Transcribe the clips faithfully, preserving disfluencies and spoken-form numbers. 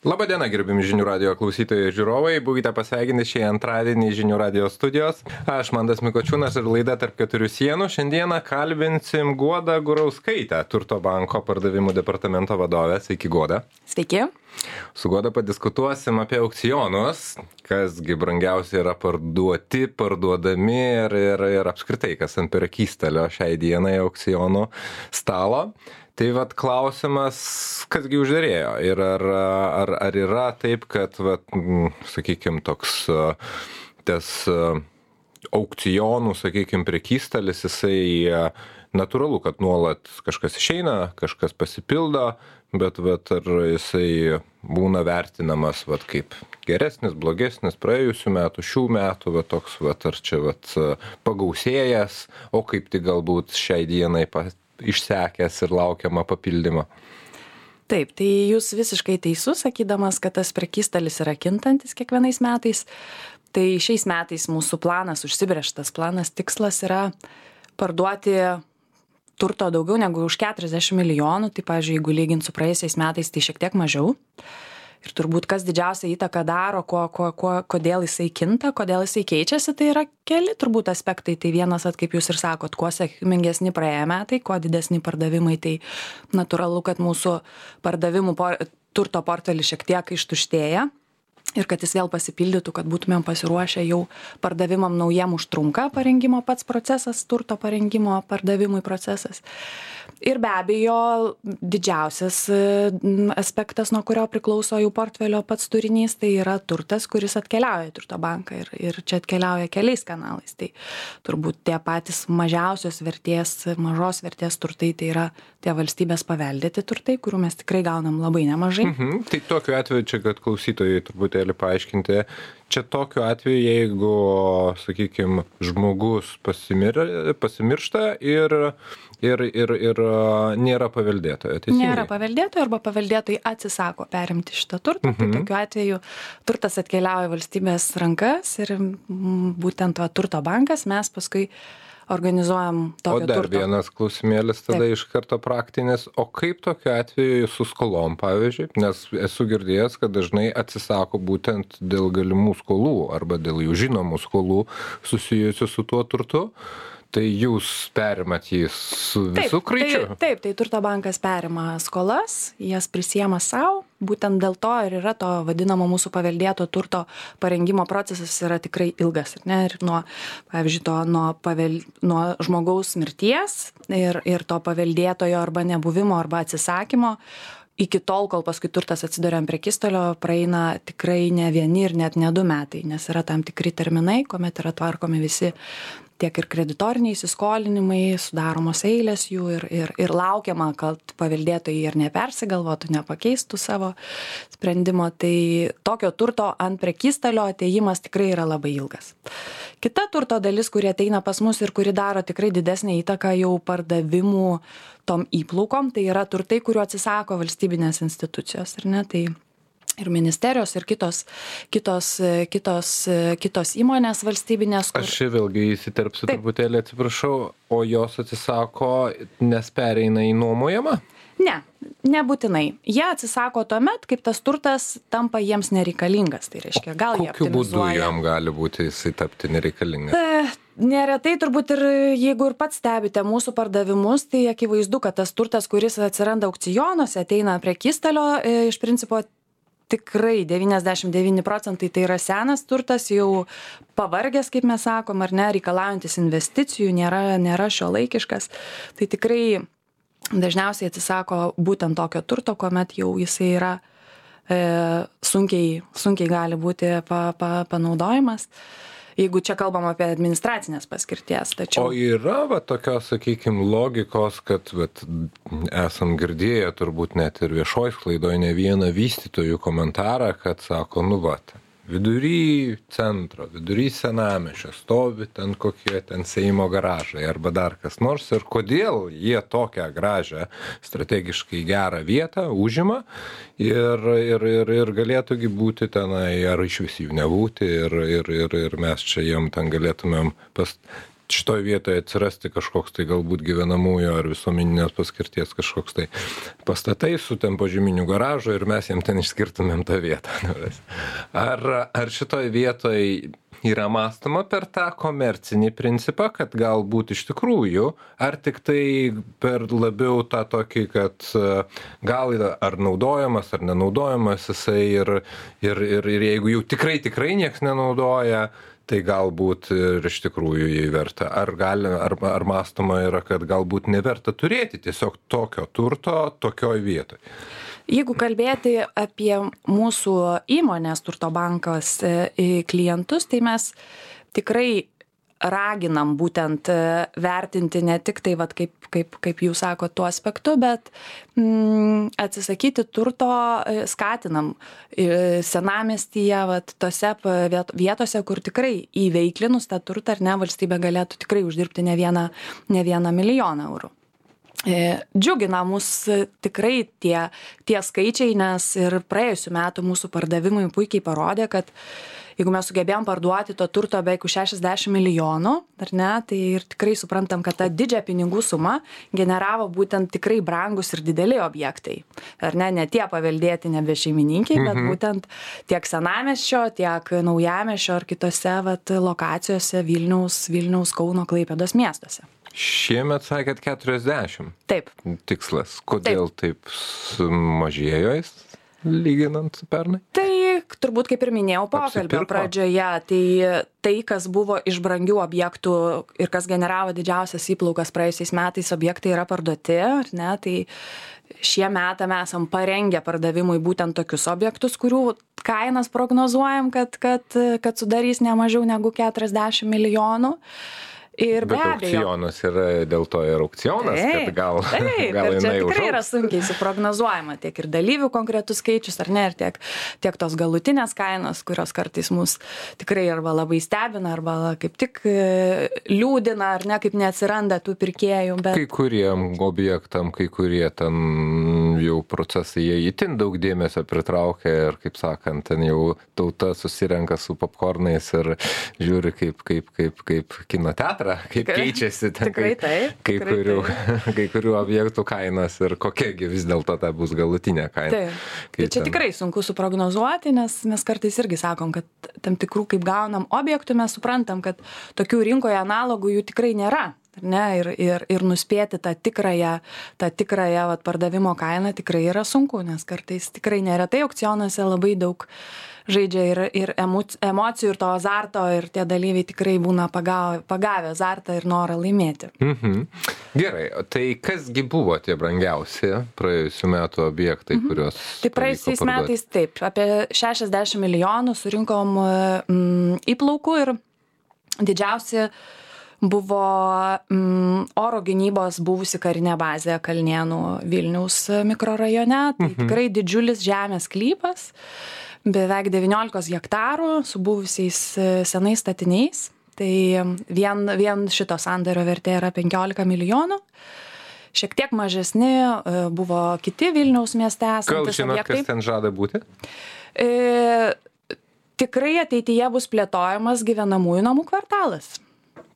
Labadiena, gerbimi žinių radijo klausytojai ir žiūrovai. Būkite pasveikinti šį antradienį žinių radijo studijos. Aš Mantas Mikočiūnas ir laida Tarp keturių sienų. Šiandieną kalbinsim Guodą Gurauskaitę, Turto banko pardavimų departamento vadovę. Sveiki, Guoda. Sveiki. Su Guoda padiskutuosim apie aukcionus, kasgi brangiausiai yra parduoti, parduodami ir, ir, ir apskritai, kas ant prekystalio šiai dienai aukcionų stalo. Tai vat klausimas, kasgi užderėjo ir ar, ar, ar yra taip, kad, vat, sakykime, toks tas aukcionų, sakykime, prekystalis, jisai natūralu, kad nuolat kažkas išeina, kažkas pasipildo, bet vat, ar jisai būna vertinamas vat, kaip geresnis, blogesnis praėjusių metų, šių metų, vat, toks, vat, ar čia vat, pagausėjęs, o kaip tik galbūt šiai dienai pas išsekęs ir laukiama papildymo. Taip, tai jūs visiškai teisus, sakydamas, kad tas prekystalis yra kintantis kiekvienais metais. Tai šiais metais mūsų planas, užsibrėžtas planas, tikslas yra parduoti turto daugiau negu už keturiasdešimt milijonų. Tai, pavyzdžiui, jeigu lygint su praėjusiais metais, tai šiek tiek mažiau. Ir turbūt kas didžiausią įtaką daro, ko, ko, ko, kodėl jisai kinta, kodėl jisai keičiasi, tai yra keli turbūt aspektai. Tai vienas, at, kaip jūs ir sakot, kuo sėkmingesni praėję metai, kuo didesni pardavimai, tai natūralu, kad mūsų pardavimų por, turto portfelis šiek tiek ištuštėja. Ir kad jis vėl pasipildytų, kad būtumėm pasiruošę jau pardavimam naujiem užtrunka parengimo pats procesas, turto parengimo pardavimui procesas. Ir be abejo, didžiausias aspektas, nuo kurio priklauso jų portfelio pats turinys, tai yra turtas, kuris atkeliauja į Turto banką ir, ir čia atkeliauja keliais kanalais. Tai turbūt tie patys mažiausios vertės, mažos vertės turtai, tai yra tie valstybės paveldėti turtai, kurių mes tikrai gaunam labai nemažai. Mhm. Tai tokiu atveju čia, kad klausytojai truputėlį paaiškinti, čia tokiu atveju, jeigu, sakykime, žmogus pasimir, pasimiršta ir, ir, ir, ir nėra paveldėtojo. Teisingai? Nėra paveldėtojo arba paveldėtojai atsisako perimti šitą turtą. Mhm. Tai tokiu atveju turtas atkeliauja į valstybės rankas ir būtent va, Turto bankas mes paskui organizuojam tokio turto. O dar turto. Vienas klausimėlis tada Taip. Iš karto praktinis. O kaip tokiu atveju su skolom, pavyzdžiui? Nes esu girdėjęs, kad dažnai atsisako būtent dėl galimų skolų arba dėl jų žinomų skolų susijusių su tuo turtu. Tai jūs perimat jį su visų kraičiu? Taip, taip, tai Turto bankas perima skolas, jas prisiema savo. Būtent dėl to ir yra to vadinamo mūsų paveldėto turto parengimo procesas yra tikrai ilgas. Ne? Ir nuo, pavyzdžiui, to, nuo, pavel, nuo žmogaus mirties ir, ir to paveldėtojo arba nebuvimo arba atsisakymo, iki tol, kol paskui turtas atsiduria ant prekystalio, praeina tikrai ne vieni ir net ne du metai, nes yra tam tikri terminai, kuomet yra tvarkomi visi tiek ir kreditoriniai įsiskolinimai, sudaromos eilės jų ir, ir, ir laukiama, kad paveldėtojai ir nepersigalvotų, nepakeistų savo sprendimo. Tai tokio turto ant prekystalio atėjimas tikrai yra labai ilgas. Kita turto dalis, kuri ateina pas mus ir kuri daro tikrai didesnį įtaką jau pardavimų tom įplaukom, tai yra turtai, kuriuo atsisako valstybinės institucijos. Ar ne? Tai ir ministerijos, ir kitos, kitos, kitos, kitos įmonės valstybinės. Kur... Aš čia vėlgi įsiterpsiu truputėlį, atsiprašau, o jos atsisako, nes pereina į nuomojamą? Ne, nebūtinai. Jie atsisako tuomet, kaip tas turtas tampa jiems nereikalingas. Tai reiškia, gal jie optimizuoja. Kokiu būdu jam gali būti jisai tapti nereikalingas? E, neretai turbūt ir jeigu ir pats stebite mūsų pardavimus, tai akivaizdu, kad tas turtas, kuris atsiranda aukcionuose, ateina prekystalio, e, iš principo tikrai devyniasdešimt devyni procentai tai yra senas turtas, jau pavargęs, kaip mes sakom, ar ne, reikalaujantis investicijų, nėra, nėra šiuolaikiškas. Tai tikrai dažniausiai atsisako būtent tokio turto, kuomet jau jisai yra e, sunkiai, sunkiai gali būti pa, pa, panaudojimas. Jeigu čia kalbam apie administracinės paskirties. Tačiau... O yra va, tokios, sakykime, logikos, kad vat, esam girdėję turbūt net ir viešoj sklaidoj ne vieną vystytojų komentarą, kad sako, nu vat, vidury centro, vidury senamiesčio stovi ten kokie ten Seimo garažai arba dar kas nors ir kodėl jie tokią gražią strategiškai gerą vietą užima ir, ir, ir, ir galėtųgi būti tenai ar iš vis jų nebūti ir, ir, ir, ir mes čia jiem ten galėtumėm pas, šitoj vietoje atsirasti kažkoks tai galbūt gyvenamųjų ar visuomeninės paskirties kažkoks tai pastatai su ten požeminiu garažu ir mes jiem ten išskirtumėm tą vietą. Ar, ar šitoj vietoj yra mąstoma per tą komercinį principą, kad galbūt iš tikrųjų, ar tik tai per labiau tą tokį, kad gal ar naudojamas, ar nenaudojamas jisai ir, ir, ir, ir jeigu jau tikrai, tikrai nieks nenaudoja, tai galbūt ir iš tikrųjų jį verta. Ar, gali, ar, ar mąstoma yra, kad galbūt neverta turėti tiesiog tokio turto tokioj vietoj? Jeigu kalbėti apie mūsų įmonės Turto bankas klientus, tai mes tikrai raginam būtent vertinti ne tik tai, vat, kaip, kaip, kaip jūs sako, tuo aspektu, bet mm, atsisakyti turto skatinam senamiestyje, vat, tose vietose, kur tikrai įveiklinus tą turtą ar ne, valstybė galėtų tikrai uždirbti ne vieną, ne vieną milijoną eurų. Džiugina mus tikrai tie, tie skaičiai, nes ir praėjusių metų mūsų pardavimai puikiai parodė, kad jeigu mes sugebėjom parduoti to turto beveik už šešiasdešimt milijonų, ar ne, tai ir tikrai suprantam, kad ta didžią pinigų sumą generavo būtent tikrai brangus ir dideli objektai. Ar ne, ne tie paveldėti nebe šeimininkiai, bet mhm. būtent tiek senamiesčio, tiek naujamiesčio ar kitose vat, lokacijose Vilniaus, Vilniaus, Kauno, Klaipėdos miestuose. Šiemet sakėt keturiasdešimt. Taip. Tikslas. Kodėl taip, taip sumažėjo jis, lyginant su pernai? Tai turbūt, kaip ir minėjau pokalbio pradžioje, tai tai, kas buvo iš brangių objektų ir kas generavo didžiausias įplaukas praėjusiais metais, objektai yra parduoti, ar ne, tai šie metai mes esam parengę pardavimui būtent tokius objektus, kurių kainas prognozuojam, kad, kad, kad sudarys ne mažiau negu keturiasdešimt milijonų. Ir bet aukcionas yra dėl to ir aukcionas, taip, kad gal, taip, gal ir čia jinai tikrai užaugs. Yra sunkiai suprognozuojama tiek ir dalyvių konkretus skaičius, ar ne, ir tiek, tiek tos galutinės kainos, kurios kartais mus tikrai arba labai stebina, arba kaip tik liūdina, ar ne, kaip neatsiranda tų pirkėjų. Bet... Kai kuriem objektam, kai kurie ten jau procesai, jie itin daug dėmesio pritraukia ir, kaip sakant, ten jau tauta susirenka su popkornais ir žiūri kaip, kaip, kaip, kaip kino teatrą. Kaip keičiasi ten tikrai kai, taip, kai, tikrai kurių, taip. kai kurių objektų kainas ir kokiagi vis dėlto ta bus galutinė kaina. Taip. Tai čia ten... tikrai sunku suprognozuoti, nes mes kartais irgi sakom, kad tam tikrų, kaip gaunam objektų, mes suprantam, kad tokių rinkoje analogų jų tikrai nėra. Ne, ir, ir, ir nuspėti tą tikrąją, tą tikrąją vat, pardavimo kainą tikrai yra sunku, nes kartais tikrai neretai aukcionuose labai daug žaidžia ir, ir emocijų, ir to azarto, ir tie dalyviai tikrai būna pagavę, pagavę azartą ir norą laimėti. Mhm. Gerai, tai kasgi buvo tie brangiausi praėjusių metų objektai, mhm. kuriuos... Tai praėjusiais metais taip, apie šešiasdešimt milijonų surinkom mm, įplaukų ir didžiausi buvo mm, oro gynybos buvusi karinė bazė Kalnėnų Vilniaus mikrorajone. Tai mhm. tikrai didžiulis žemės sklypas, beveik devyniolika hektarų su buvusiais senais statiniais. Tai vien, vien šito sandorio vertė yra penkiolika milijonų. Šiek tiek mažesni buvo kiti Vilniaus mieste esantis objektai. Gal žinot, objektai. kas ten žada būti? E, tikrai ateityje bus plėtojamas gyvenamųjų namų kvartalas.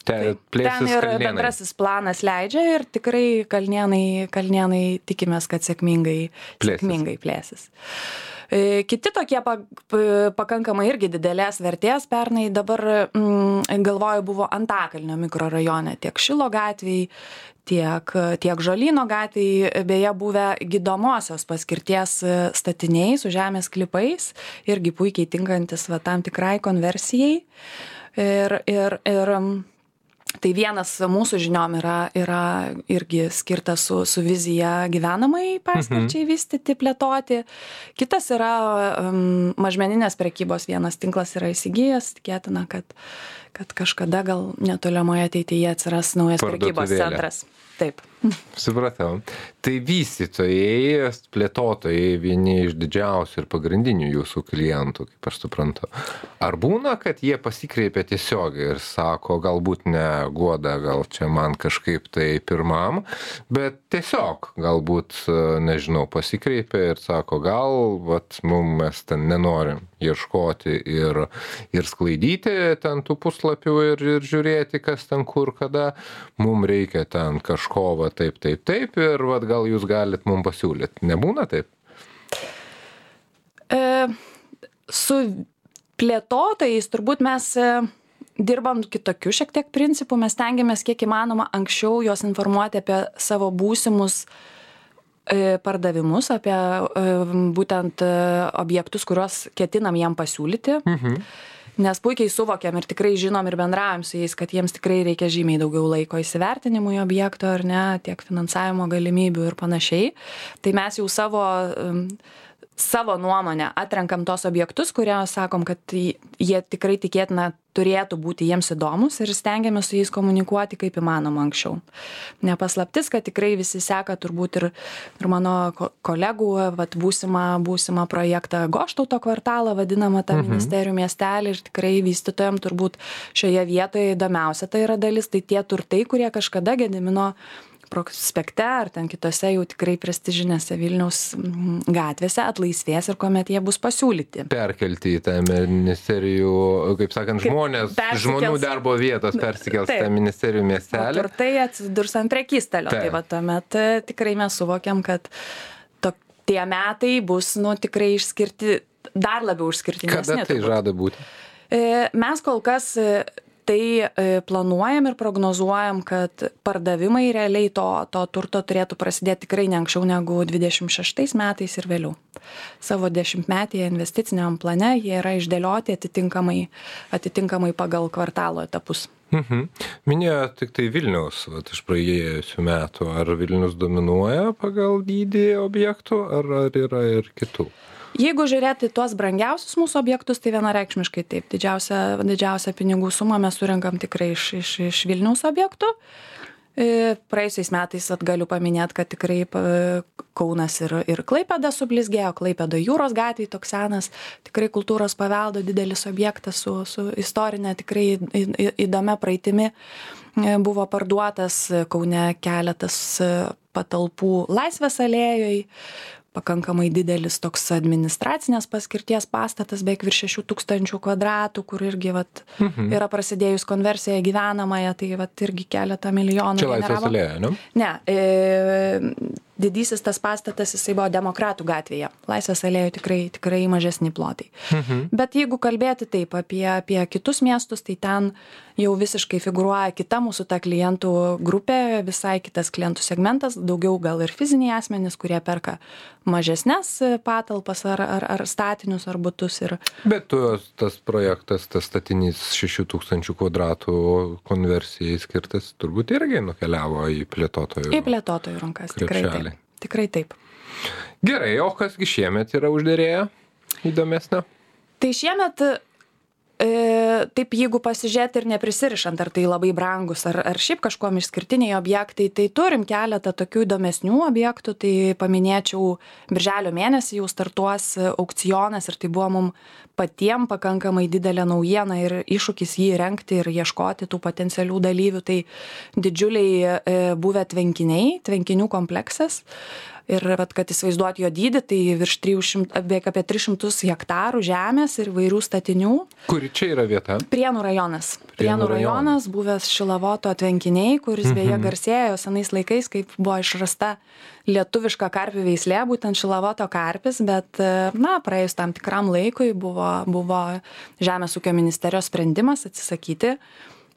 Ten, ten ir Kalnėnai. Bendrasis planas leidžia ir tikrai Kalnėnai, Kalnėnai tikimės, kad sėkmingai plėsis. Sėkmingai plėsis. Kiti tokie pakankamai irgi didelės vertės pernai dabar, mm, galvoju, buvo Antakalnio mikrorajone, tiek Šilo gatvėj, tiek, tiek Žolyno gatvėj, beje buvę gydomosios paskirties statiniai su žemės klipais, irgi puikiai tinkantis va, tam tikrai konversijai. Ir, ir, ir tai vienas mūsų žiniom yra, yra irgi skirtas su, su vizija gyvenamai paskirčiai vystyti, plėtoti. Kitas yra um, mažmeninės prekybos vienas tinklas yra įsigijęs, tikėtina, kad, kad kažkada gal netolimoje ateityje atsiras naujas prekybos centras. Taip. Supratau. Tai vystytojai, plėtotojai vieni iš didžiausių ir pagrindinių jūsų klientų, kaip aš suprantu. Ar būna, kad jie pasikreipia tiesiogiai ir sako, galbūt ne Guoda, gal čia man kažkaip tai pirmam, bet tiesiog galbūt, nežinau, pasikreipia ir sako, gal vat, mum mes ten nenorim ieškoti ir, ir sklaidyti ten tų puslapių ir, ir žiūrėti, kas ten kur, kada. Mum reikia ten kažko va taip, taip, taip ir vat, gal jūs galit mum pasiūlyti. Nebūna taip? E, su plėtotojais turbūt mes e, dirbam kitokiu šiek tiek principu. Mes tengiamės kiek įmanoma anksčiau juos informuoti apie savo būsimus pardavimus, apie būtent objektus, kuriuos ketinam jam pasiūlyti. Mhm. Nes puikiai suvokiam ir tikrai žinom ir bendraujam su jais, kad jiems tikrai reikia žymiai daugiau laiko įsivertinimui objekto, ar ne, tiek finansavimo galimybių ir panašiai. Tai mes jau savo savo nuomonę atrenkam tos objektus, kurie sakom, kad jie tikrai tikėtina turėtų būti jiems įdomus ir stengiamės su jais komunikuoti kaip įmanoma anksčiau. Nepaslaptis, kad tikrai visi seka turbūt ir, ir mano kolegų vat, būsimą, būsimą projektą Goštauto kvartalą, vadinamą tą mhm. ministerijų miestelį, ir tikrai vystytojams turbūt šioje vietoje įdomiausia tai yra dalis, tai tie turtai, kurie kažkada Gedimino prospekte ar ten kitose jau tikrai prestižinėse Vilniaus gatvėse atlaisvės ir kuomet jie bus pasiūlyti. Perkelti į tą ministerijų, kaip sakant, žmonės, persikels, žmonių darbo vietos persikels tą ministerijų miestelį. Ir tai atsidurs ant prekystalio. Tai va tuomet tikrai mes suvokiam, kad to, tie metai bus nu, tikrai išskirti, dar labiau išskirtinesni. Kada tai žada būti? Mes kol kas tai planuojam ir prognozuojam, kad pardavimai realiai to, to turto turėtų prasidėti tikrai ne anksčiau negu dvidešimt šeštais metais ir vėliau. Savo dešimtmetyje investiciniam plane jie yra išdėlioti atitinkamai, atitinkamai pagal kvartalo etapus. Mhm. Minėjo tik tai Vilniaus, vat, iš praėjusių metų. Ar Vilnius dominuoja pagal dydį objektų, ar, ar yra ir kitų? Jeigu žiūrėti tuos brangiausius mūsų objektus, tai vienareikšmiškai taip. Didžiausia, didžiausia pinigų sumą mes surinkam tikrai iš, iš, iš Vilniaus objektų. Praėjusiais metais at galiu paminėti, kad tikrai Kaunas ir, ir Klaipėda sublizgėjo, Klaipėda Jūros gatvėj toks senas, tikrai kultūros paveldo didelis objektas su, su istorinė tikrai įdomia praeitimi buvo parduotas, Kaune keletas patalpų Laisvės alėjoj, pakankamai didelis toks administracinės paskirties pastatas, beveik virš šešių tūkstančių kvadratų, kur irgi vat, mhm. yra prasidėjus konversija gyvenamąją, tai vat, irgi keletą milijonų. Čia Laisvės alėja, ne? Ne, e, didysis tas pastatas, jisai buvo Demokratų gatvėje. Laisvės alėjoje tikrai, tikrai mažesni plotai. Mhm. Bet jeigu kalbėti taip apie, apie kitus miestus, tai ten jau visiškai figuruoja kita mūsų ta klientų grupė, visai kitas klientų segmentas, daugiau gal ir fiziniai asmenys, kurie perka mažesnes patalpas ar, ar, ar statinius ar butus. Ir... Bet tu, tas projektas, tas statinys šešių tūkstančių kvadratų konversijai skirtas, turbūt irgi nukeliavo į plėtotojų. Į plėtotojų rankas, tikrai taip. Tikrai taip. Gerai, o kasgi šiemet yra užderėję įdomesnio? Tai šiemet, e, taip jeigu pasižiūrėti ir neprisirišant, ar tai labai brangus, ar, ar šiaip kažkuom išskirtiniai objektai, tai turim keletą tokių įdomesnių objektų, tai paminėčiau, birželio mėnesį jau startuos aukcionas ir tai buvo mum patiem pakankamai didelė naujiena ir iššūkis jį rengti ir ieškoti tų potencialių dalyvių, tai didžiuliai e, buvę tvenkiniai, tvenkinių kompleksas. Ir vat, kad įsivaizduoti jo dydį, tai virš trijų šimtų, beveik apie tris šimtus hektarų žemės ir vairių statinių. Kuri čia yra vieta? Prienų rajonas. Prienų, Prienų rajonas, buvęs Šilavoto tvenkiniai, kuris mhm. beje garsėjo senais laikais, kaip buvo išrasta lietuviška karpių veislė, būtent Šilavoto karpis, bet na, praėjus tam tikram laikui buvo, buvo Žemės ūkio ministerijos sprendimas atsisakyti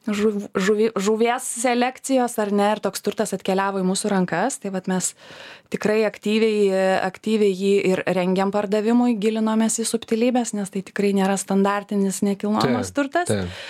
žuv, žuvi, žuvies selekcijos, ar ne, ir toks turtas atkeliavo į mūsų rankas, tai vat mes tikrai aktyviai, aktyviai jį ir rengiam pardavimui, gilinomės į subtilybės, nes tai tikrai nėra standartinis nekilnojamas turtas. Taip.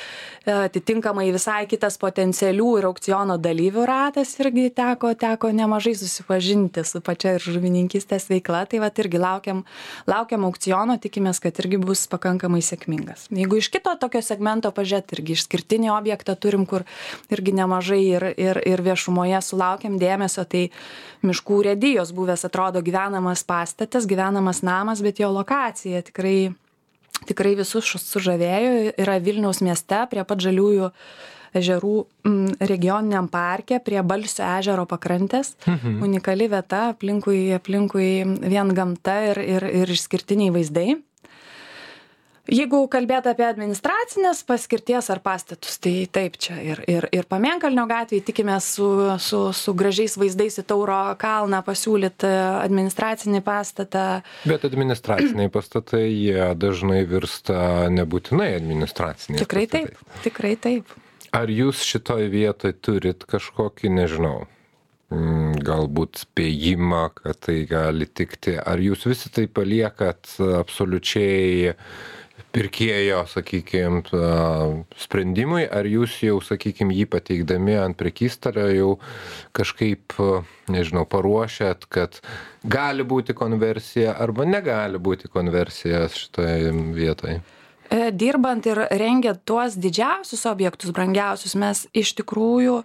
atitinkamai visai kitas potencialių ir aukciono dalyvių ratas irgi teko, teko nemažai susipažinti su pačia ir žuvininkystės veikla, tai vat irgi laukiam, laukiam aukciono, tikimės, kad irgi bus pakankamai sėkmingas. Jeigu iš kito tokio segmento pažiūrėt, irgi išskirtinį objektą turim, kur irgi nemažai ir, ir, ir viešumoje sulaukiam dėmesio, tai miškų urėdijos buvęs atrodo gyvenamas pastatas, gyvenamas namas, bet jo lokacija tikrai Tikrai visus sužavėjo, yra Vilniaus mieste prie pat Žaliųjų ežerų regioniniam parke, prie Balsio ežero pakrantės. Mhm. Unikali vieta, aplinkui, aplinkui vien gamta ir, ir, ir išskirtiniai vaizdai. Jeigu kalbėt apie administracinės paskirties ar pastatus, tai taip čia ir, ir, ir Pamėnkalnio gatvėje tikimės su, su, su gražiais vaizdais į Tauro kalną pasiūlyti administracinį pastatą. Bet administraciniai pastatai, jie dažnai virsta nebūtinai administraciniais. Tikrai pastatais. taip, tikrai taip. Ar jūs šitoj vietoj turit kažkokį, nežinau, galbūt spėjimą, kad tai gali tikti? Ar jūs visi tai paliekat absoliučiai pirkėjo, sakykime, sprendimui, ar jūs jau, sakykime, jį pateikdami ant prekystalio jau kažkaip, nežinau, paruošėt, kad gali būti konversija arba negali būti konversija šitoje vietoje? Dirbant ir rengiant tuos didžiausius objektus, brangiausius, mes iš tikrųjų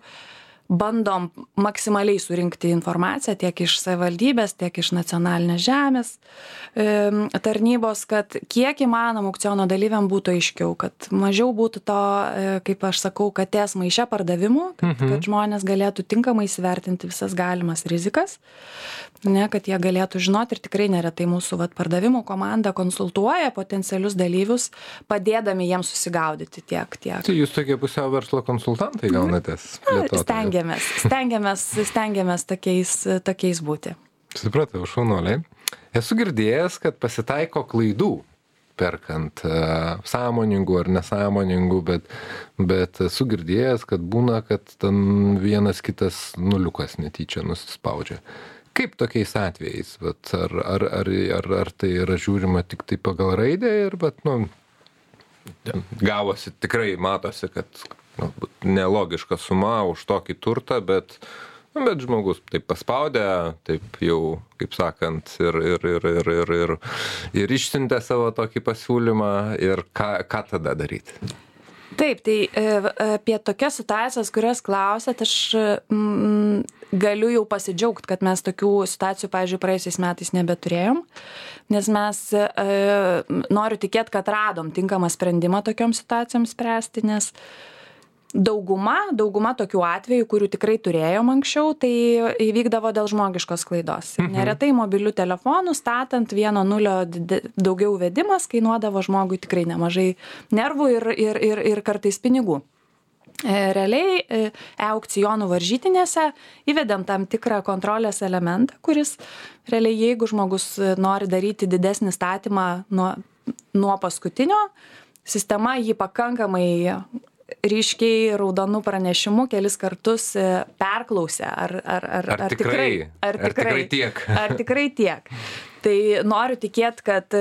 bandom maksimaliai surinkti informaciją tiek iš savivaldybės, tiek iš nacionalinės žemės e, tarnybos, kad kiek įmanoma aukciono dalyviam būtų aiškiau, kad mažiau būtų to, e, kaip aš sakau, katės maiše pardavimų, kad, mhm. kad žmonės galėtų tinkamai įsivertinti visas galimas rizikas, ne, kad jie galėtų žinoti ir tikrai neretai mūsų vat, pardavimų komanda konsultuoja potencialius dalyvius, padėdami jiems susigaudyti tiek, tiek. Tai jūs tokie pusiau verslo konsultantai gaunatės? Stengiamės. Stengiamės, stengiamės tokiais, tokiais būti. Supratau, šaunuoliai. Esu girdėjęs, kad pasitaiko klaidų perkant uh, sąmoningų ar nesąmoningų, bet, bet esu girdėjęs, kad būna, kad ten vienas kitas nuliukas netyčia nusispaudžia. Kaip tokiais atvejais? Bet ar, ar, ar, ar, ar tai yra žiūrima tik tai pagal raidę ir bet, nu, gavosi, tikrai matosi, kad nelogiška suma už tokį turtą, bet, bet žmogus taip paspaudė, taip jau, kaip sakant, ir, ir, ir, ir, ir, ir, ir išsiuntė savo tokį pasiūlymą ir ką, ką tada daryti? Taip, tai apie tokias situacijas, kurias klausėt, aš mm, galiu jau pasidžiaugti, kad mes tokių situacijų, pavyzdžiui, praėjusiais metais nebeturėjom, nes mes e, noriu tikėti, kad radom tinkamą sprendimą tokiom situacijom spręsti, nes Dauguma, dauguma tokių atvejų, kurių tikrai turėjom anksčiau, tai įvykdavo dėl žmogiškos klaidos. Mhm. Neretai mobilių telefonų statant vieno nulio daugiau vedimas kainuodavo žmogui tikrai nemažai nervų ir, ir, ir, ir kartais pinigų. Realiai e-aukcionų varžytinėse įvedėm tam tikrą kontrolės elementą, kuris realiai jeigu žmogus nori daryti didesnį statymą nuo, nuo paskutinio, sistema jį pakankamai ryškiai raudonų pranešimų kelis kartus perklausė, ar, ar, ar, ar, ar, tikrai, ar, tikrai, ar tikrai tiek. Ar tikrai tiek. Tai noriu tikėti, kad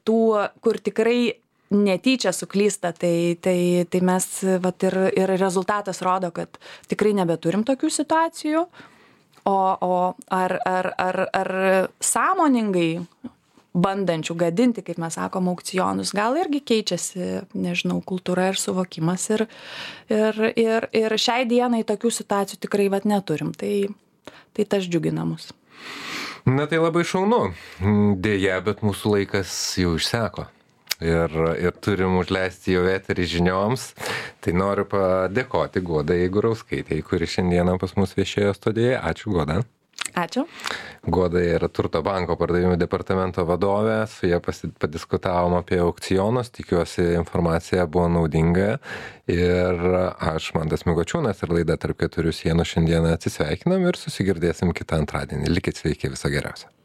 tų, kur tikrai netyčia suklysta, tai, tai, tai mes, vat, ir, ir rezultatas rodo, kad tikrai nebeturim tokių situacijų, o, o ar, ar, ar, ar sąmoningai bandančių gadinti, kaip mes sakom, aukcionus, gal irgi keičiasi, nežinau, kultūra ir suvokimas ir, ir, ir, ir šiai dienai tokių situacijų tikrai vat neturim, tai, tai tas džiugina mus. Na tai labai šaunu, dėja, bet mūsų laikas jau išseko ir, ir turim užleisti jau eterį žinioms, tai noriu padėkoti Godai Gurauskaitei, kuri šiandieną pas mus viešėjo studijoje. Ačiū, Goda. Ačiū. Goda yra Turto banko pardavimų departamento vadovė, su ja padiskutavom apie aukcionus, tikiuosi informacija buvo naudinga ir aš, Mantas Mikočiūnas, ir laida Tarp keturių sienų šiandieną atsisveikinam ir susigirdėsim kitą antradienį. Likit sveiki, viso geriausio.